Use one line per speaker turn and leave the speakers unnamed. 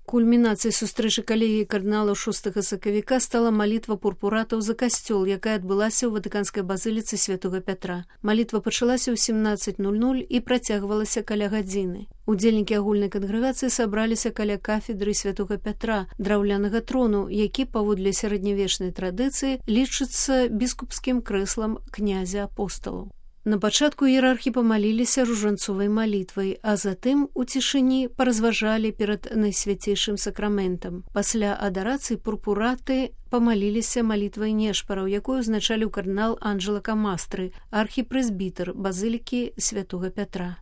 Кульмінацыяй сустрэчы калегіі кардыналаў 6 сакавіка стала малітва пурпуратаў за касцёл, якая адбылася ў ватыканскай базыліцы святога Пятра. Малітва пачалася ў 17:00 і працягвалася каля гадзіны. Удзельнікі агульнай кангрэгацыі сабраліся каля кафедры святога Пятра, драўлянага трону, які паводле сярэднявечнай традыцыі лічыцца біскупскім крэслам князя апосталаў. На пачатку іерархі памаліліся ружанцовай малітвай, а затым у цішыні паразважалі перад найсвяцейшым сакраментам. Пасля адарацыі пурпураты памаліліся малітвай нешпараў, якую узначаліў кардынал Анджела Камастры, архіпрэзбітэр базылікі святога Пятра.